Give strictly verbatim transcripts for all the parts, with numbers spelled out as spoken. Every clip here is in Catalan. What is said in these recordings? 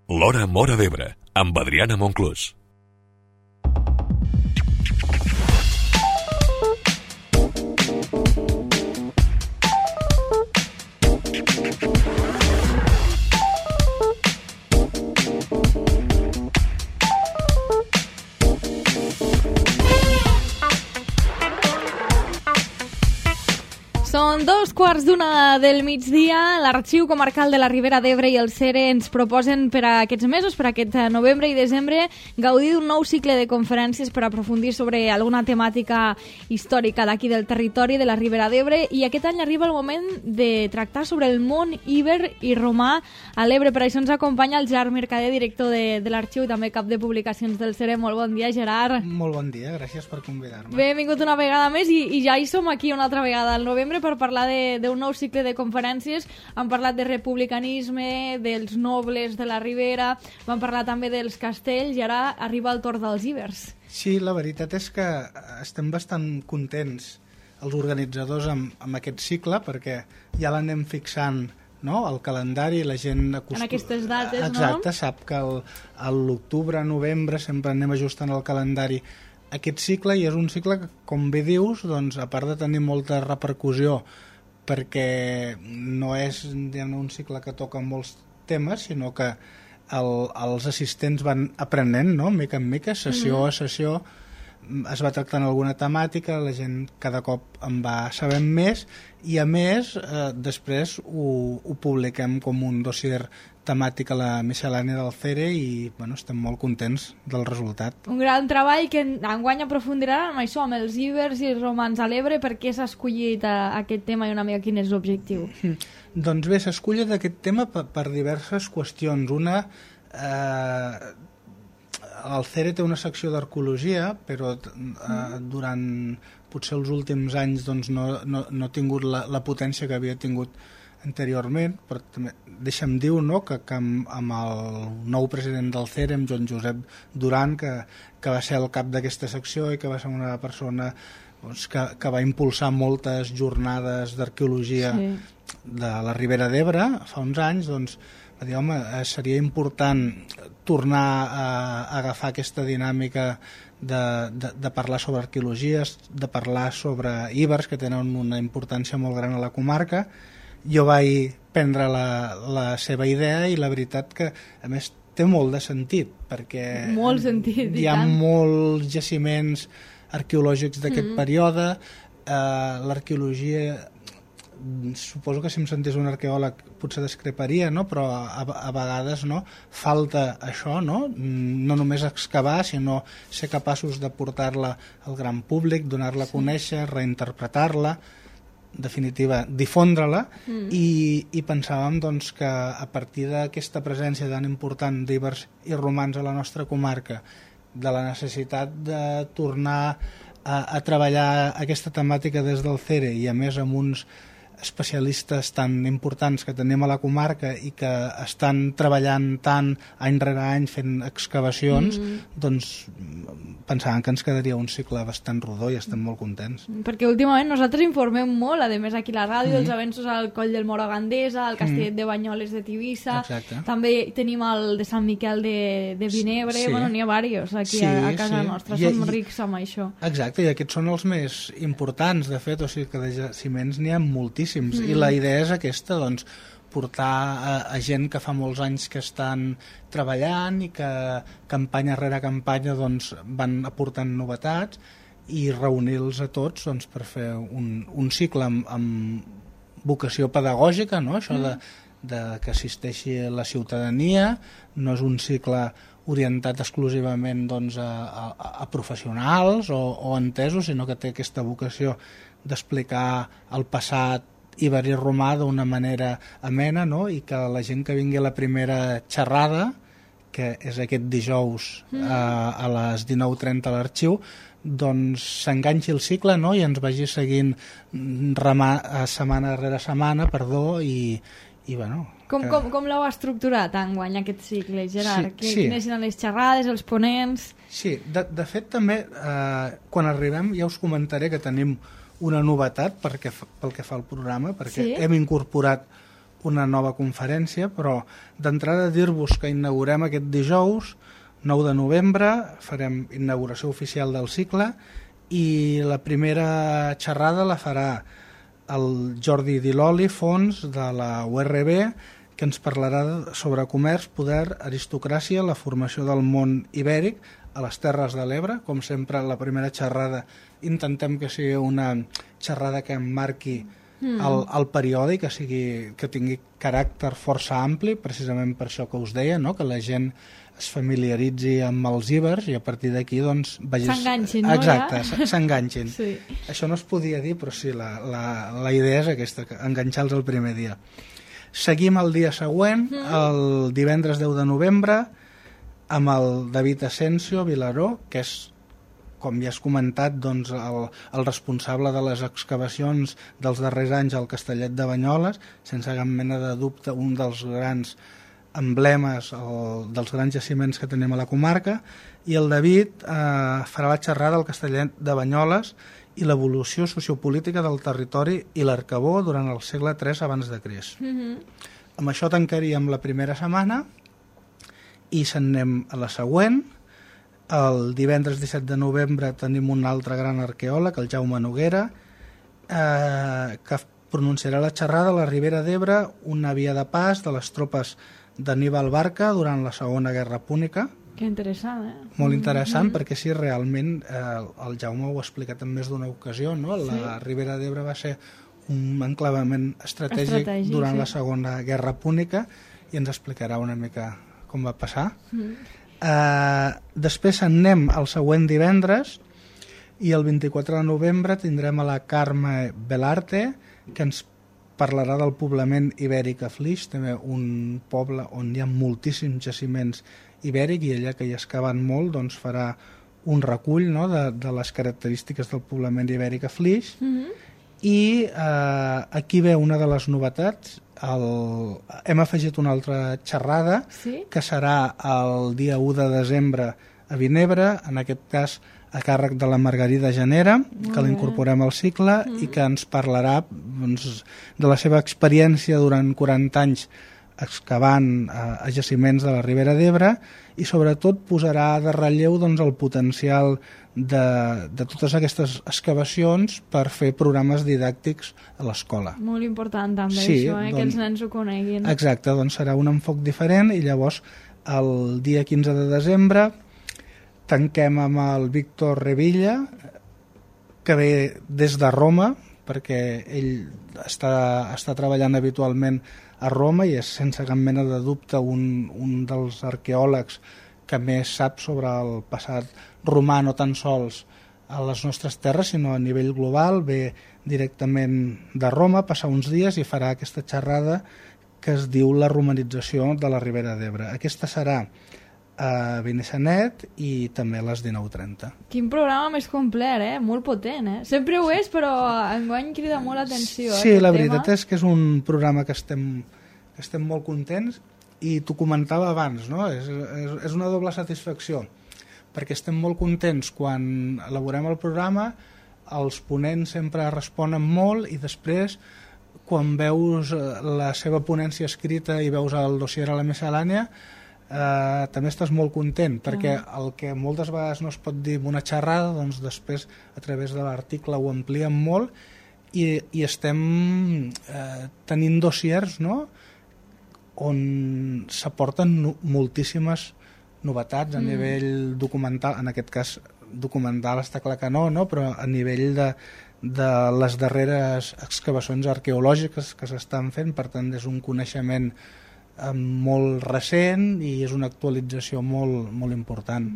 L'Hora Móra d'Ebre, amb Adriana Monclús. Són dos quarts d'una del migdia. L'Arxiu Comarcal de la Ribera d'Ebre i el CERE ens proposen per a aquests mesos, per a aquest novembre i desembre, gaudir d'un nou cicle de conferències per aprofundir sobre alguna temàtica històrica d'aquí del territori de la Ribera d'Ebre, i aquest any arriba el moment de tractar sobre el món íber i romà a l'Ebre. Per això ens acompanya el Gerard Mercader, director de, de l'Arxiu i també cap de publicacions del CERE. Molt bon dia, Gerard. Molt bon dia, gràcies per convidar-me. Benvingut una vegada més i, i ja hi som aquí una altra vegada al novembre per parlar d'un nou cicle de conferències. Hem parlat de republicanisme, dels nobles de la Ribera, vam parlar també dels castells i ara arriba el torn dels íbers. Sí, la veritat és que estem bastant contents els organitzadors amb, amb aquest cicle, perquè ja l'anem fixant, no? El calendari, la gent acostum... En aquestes dates, Exacte, no? Exacte, sap que el, a l'octubre, novembre sempre anem ajustant el calendari aquest cicle, i és un cicle que, com bé dius, doncs, a part de tenir molta repercussió, perquè no és, diguem, un cicle que toca molts temes, sinó que el, els assistents van aprenent, no?, mica en mica, sessió mm-hmm. a sessió, es va tractant alguna temàtica, la gent cada cop en va sabent més, i a més, eh, després ho, ho publiquem com un dossier temàtic a la miscel·lània del CERE i bueno, estem molt contents del resultat. Un gran treball que enguany aprofundirà amb això, amb els íbers i els romans a l'Ebre. Per què s'ha escollit a, a aquest tema i una mica quin és l'objectiu? Mm. Doncs bé, s'ha escollit aquest tema per, per diverses qüestions. Una, eh, el CERE té una secció d'arqueologia, però eh, mm. durant potser els últims anys doncs, no, no, no ha tingut la, la potència que havia tingut anteriorment, però també deixa'm dir, no?, que, que amb, amb el nou president del CERE, amb Joan Josep Duran, que, que va ser el cap d'aquesta secció i que va ser una persona doncs, que, que va impulsar moltes jornades d'arqueologia sí. de la Ribera d'Ebre fa uns anys, doncs va dir, home, seria important tornar a, a agafar aquesta dinàmica de, de, de parlar sobre arqueologies, de parlar sobre íbers, que tenen una importància molt gran a la comarca. Jo vaig prendre la, la seva idea i la veritat que, a més, té molt de sentit, perquè molt sentit, hi ha molts jaciments arqueològics d'aquest mm-hmm. període. Eh, l'arqueologia, suposo que si em sentés un arqueòleg potser discreparia, no? Però a, a vegades no? Falta això, no? No només excavar, sinó ser capaços de portar-la al gran públic, donar-la a conèixer, reinterpretar-la, definitiva, difondre-la, mm. i, i pensàvem doncs, que a partir d'aquesta presència tan important d'íbers i romans a la nostra comarca, de la necessitat de tornar a, a treballar aquesta temàtica des del CERE i a més amb uns especialistes tan importants que tenim a la comarca i que estan treballant tant any rere any fent excavacions, mm. doncs pensàvem que ens quedaria un cicle bastant rodó i estem molt contents. Perquè últimament nosaltres informem molt, a més aquí a la ràdio, mm. els avenços al Coll del Moro a Gandesa, al Castellet mm. de Banyoles de Tivissa. Exacte. També tenim el de Sant Miquel de, de Vinebre, sí. Bueno, n'hi ha diversos aquí sí, a, a casa sí. nostra, I, som i, rics amb això. Exacte, i aquests són els més importants, de fet, o sigui que de jaciments n'hi ha moltíssims. Mm. I la idea és aquesta, doncs, portar a, a gent que fa molts anys que estan treballant i que campanya rere campanya doncs, van aportant novetats i reunir-los a tots doncs, per fer un, un cicle amb, amb vocació pedagògica, no? Això mm. de, de que assisteixi la ciutadania, no és un cicle orientat exclusivament doncs, a, a, a professionals o, o entesos, sinó que té aquesta vocació d'explicar el passat íber i romà d'una manera amena, no? I que la gent que vingui a la primera xerrada, que és aquest dijous mm. a, a les dinou trenta a l'Arxiu, doncs s'enganxi el cicle, no? I ens vagi seguint remar, setmana rere setmana, perdó, i, i bueno... Com, que... com, com l'heu estructurat enguany aquest cicle, Gerard? Sí, sí. Quines eren les xerrades, els ponents? Sí, de, de fet també, eh, quan arribem ja us comentaré que tenim una novetat perquè, pel que fa al programa, perquè sí? hem incorporat una nova conferència, però d'entrada dir-vos que inaugurem aquest dijous, nou de novembre, farem inauguració oficial del cicle i la primera xerrada la farà el Jordi Diloli, fons de la U R B, que ens parlarà sobre comerç, poder, aristocràcia, la formació del món ibèric a les Terres de l'Ebre. Com sempre, la primera xerrada intentem que sigui una xerrada que emmarqui mm. el, el període, que, sigui, que tingui caràcter força ampli, precisament per això que us deia, no? Que la gent es familiaritzi amb els ibers i a partir d'aquí doncs vegis... S'enganxin, no? Exacte, ja? s'enganxin. Sí. Això no es podia dir, però sí, la, la, la idea és aquesta, enganxar-los el primer dia. Seguim el dia següent, mm. el divendres deu de novembre, amb el David Asensio Vilaró, que és, com ja has comentat, doncs, el, el responsable de les excavacions dels darrers anys al Castellet de Banyoles, sense cap mena de dubte un dels grans emblemes el, dels grans jaciments que tenim a la comarca, i el David eh, farà la xerrada al Castellet de Banyoles i l'evolució sociopolítica del territori i l'Arcabó durant el segle tres abans de Crist. Mm-hmm. Amb això tancaríem la primera setmana i se'n anem a la següent. El divendres disset de novembre tenim un altre gran arqueòleg, el Jaume Noguera, eh, que pronunciarà la xerrada a la Ribera d'Ebre, una via de pas de les tropes d'Aníbal Barca durant la Segona Guerra Púnica. Que interessant, eh? Molt interessant, mm-hmm. perquè sí, realment eh, el Jaume ho ha explicat en més d'una ocasió, no? La sí. Ribera d'Ebre va ser un enclavament estratègic, estratègic durant sí. la Segona Guerra Púnica i ens explicarà una mica com va passar. Mm. Eh, després anem al següent divendres i el vint-i-quatre de novembre tindrem a la Carme Belarte, que ens parlarà del poblament ibèric a Flix, també un poble on hi ha moltíssims jaciments ibèrics i ella, que hi ha excavat molt, doncs farà un recull, no?, de, de les característiques del poblament ibèric a Flix. Mm-hmm. I eh, aquí ve una de les novetats. El... Hem afegit una altra xerrada, sí? Que serà el dia u de desembre a Vinebre, en aquest cas a càrrec de la Margarida Genera, que l'incorporem al cicle mm. i que ens parlarà doncs, de la seva experiència durant quaranta anys excavant a, a jaciments de la Ribera d'Ebre i sobretot posarà de relleu doncs, el potencial de, de totes aquestes excavacions per fer programes didàctics a l'escola. Molt important també sí, això, eh? doncs, que els nens ho coneguin. Exacte, doncs serà un enfoc diferent i llavors el dia quinze de desembre tanquem amb el Víctor Revilla, que ve des de Roma, perquè ell està, està treballant habitualment a Roma i és sense cap mena de dubte un, un dels arqueòlegs que més sap sobre el passat romà, no tan sols a les nostres terres, sinó a nivell global. Ve directament de Roma, passar uns dies i farà aquesta xerrada que es diu la romanització de la Ribera d'Ebre. Aquesta serà a Benissanet i també a les dinou trenta. Quin programa més complet, eh? Molt potent, eh? Sempre ho és, però enguany crida molt l'atenció. Sí, eh, la tema. veritat és que és un programa que estem, que estem molt contents i t'ho comentava abans, no? És, és, és una doble satisfacció, perquè estem molt contents quan elaborem el programa, els ponents sempre responen molt i després, quan veus la seva ponència escrita i veus el dossier a la miscel·lània, Uh, també estàs molt content perquè el que moltes vegades no es pot dir en una xerrada, doncs després a través de l'article ho ampliem molt i, i estem uh, tenint dossiers, no?, on s'aporten no, moltíssimes novetats a mm. nivell documental, en aquest cas documental està clar que no, no? Però a nivell de, de les darreres excavacions arqueològiques que s'estan fent, per tant és un coneixement molt recent i és una actualització molt, molt important.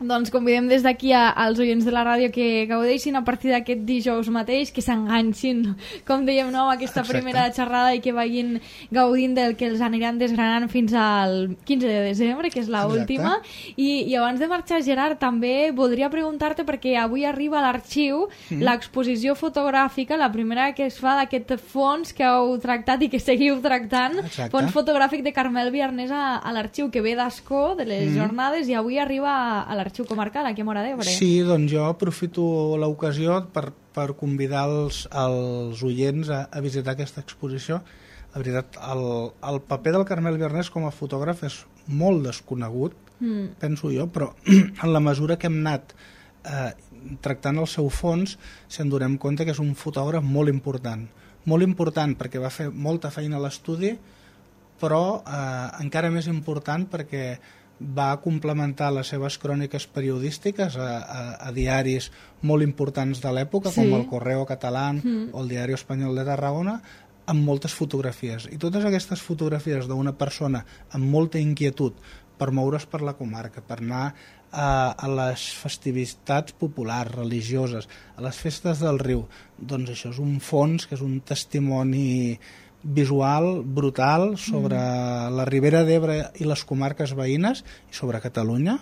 Doncs convidem des d'aquí als oients de la ràdio que gaudeixin a partir d'aquest dijous mateix, que s'enganxin, com dèiem, no, aquesta Exacte. Primera xerrada i que vagin gaudint del que els aniran desgranant fins al quinze de desembre, que és l'última. I, I abans de marxar, Gerard, també voldria preguntar-te, perquè avui arriba a l'arxiu mm. l'exposició fotogràfica, la primera que es fa d'aquest fons que heu tractat i que seguiu tractant, Exacte. Fons fotogràfic de Carmel Viarnés a, a l'arxiu, que ve d'Ascó, de les mm. jornades, i avui arriba a l'arxiu comarcal, aquí a Móra d'Ebre. Sí, doncs jo aprofito l'ocasió per, per convidar els, els oients a, a visitar aquesta exposició. La veritat, el, el paper del Carmel Biarnés com a fotògraf és molt desconegut, mm. penso jo, però en la mesura que hem anat eh, tractant el seu fons, se'n donem compte que és un fotògraf molt important. Molt important perquè va fer molta feina a l'estudi, però eh, encara més important perquè va complementar les seves cròniques periodístiques a, a, a diaris molt importants de l'època, sí. com el Correo Català mm. o el Diari Espanyol de Tarragona, amb moltes fotografies. I totes aquestes fotografies d'una persona amb molta inquietud per moure's per la comarca, per anar a, a les festivitats populars, religioses, a les festes del riu, doncs això és un fons, que és un testimoni visual brutal sobre mm. la Ribera d'Ebre i les comarques veïnes i sobre Catalunya,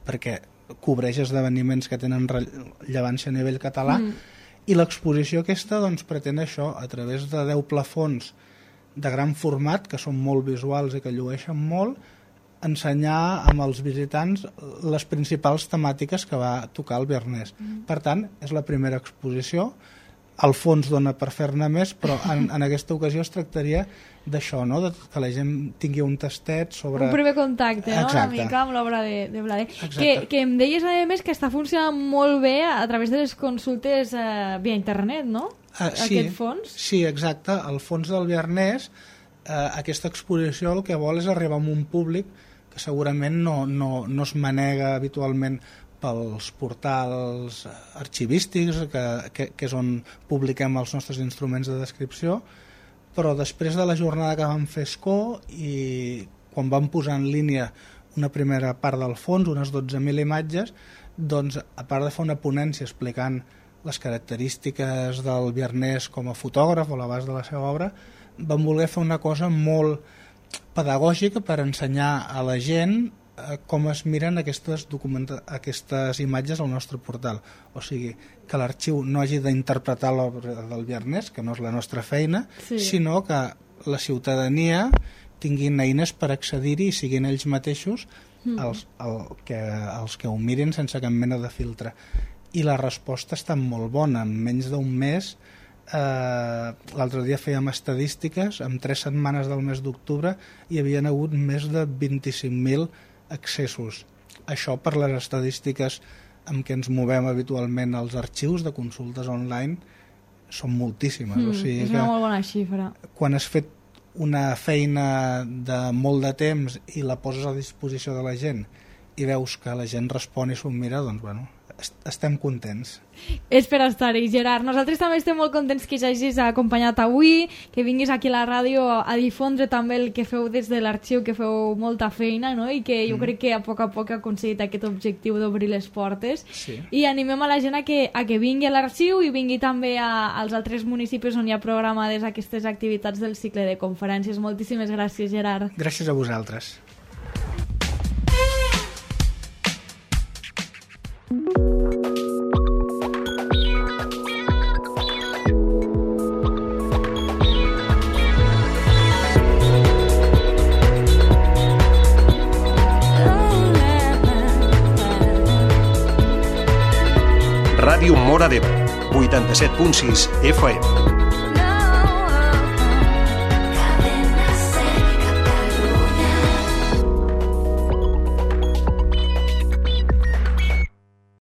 perquè cobreix esdeveniments que tenen rellevància a nivell català, mm. i l'exposició aquesta doncs, pretén això, a través de deu plafons de gran format, que són molt visuals i que llueixen molt, ensenyar amb els visitants les principals temàtiques que va tocar el Biarnés. Mm. Per tant, és la primera exposició. El fons dona per fer-ne més, però en, en aquesta ocasió es tractaria d'això, no? De que la gent tingui un tastet sobre... Un primer contacte, no? Una mica amb l'obra de, de Blader. Que, que em deies, a més, que està funcionant molt bé a través de les consultes eh, via internet, no? Uh, sí, Aquest fons? Sí, exacte. El fons del Biarnés, eh, aquesta exposició el que vol és arribar a un públic que segurament no, no, no es manega habitualment pels portals arxivístics, que, que, que és on publiquem els nostres instruments de descripció, però després de la jornada que vam fer Escó i quan vam posar en línia una primera part del fons, unes dotze mil imatges, doncs a part de fer una ponència explicant les característiques del Biarnés com a fotògraf o l'abast de la seva obra, vam voler fer una cosa molt pedagògica per ensenyar a la gent com es miren aquestes, aquestes imatges al nostre portal. O sigui, que l'arxiu no hagi d'interpretar l'obra del Biarnés, que no és la nostra feina, sí. sinó que la ciutadania tinguin eines per accedir-hi i siguin ells mateixos mm. els, el, que, els que ho mirin sense cap mena de filtre. I la resposta està molt bona. En menys d'un mes, eh, l'altre dia fèiem estadístiques, en tres setmanes del mes d'octubre hi havien hagut més de vint-i-cinc mil accessos. Això per les estadístiques amb què ens movem habitualment als arxius de consultes online són moltíssimes. Mm, o sigui és una molt bona xifra. Quan has fet una feina de molt de temps i la poses a disposició de la gent i veus que la gent respon i s'ho mira, doncs bueno, estem contents. És per estar-hi, Gerard. Nosaltres també estem molt contents que hagis acompanyat avui, que vinguis aquí a la ràdio a difondre també el que feu des de l'arxiu, que feu molta feina, no? I que jo mm. crec que a poc a poc ha aconseguit aquest objectiu d'obrir les portes. Sí. I animem a la gent a que, a que vingui a l'arxiu i vingui també a, als altres municipis on hi ha programades aquestes activitats del cicle de conferències. Moltíssimes gràcies, Gerard. Gràcies a vosaltres. Ràdio Móra d'Ebre, vuitanta-set punt sis F M.